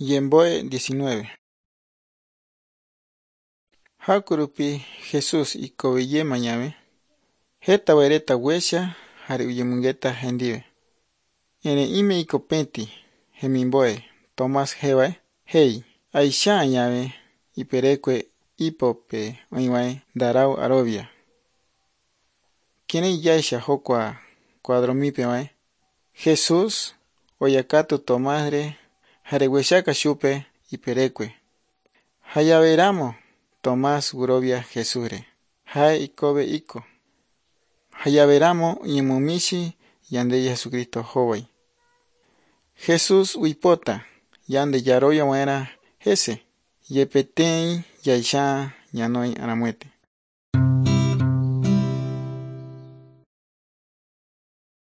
Ñembo'e 19. Hakurupi Jesús ikoveyema ñave, heta reta huecha jare uyemongeta hendive. Ere ime ikopeti hemimboe Tomás jevae jei aicha ñave iperekue ipope oĩvae ndarau arovia. Kirei yaisha jokua cuadromipevae Jesús oyakatu Tomásre jare huechaka chupe iperekue. Jayaveramo Tomás gurovia Jesúsre. Jae ikove iko. Jayaveramo ñemomichi yande Jesucristo jovai. Jesús uipota yande yarovia waerã hese yepetei jaicha ñanoi aramuete.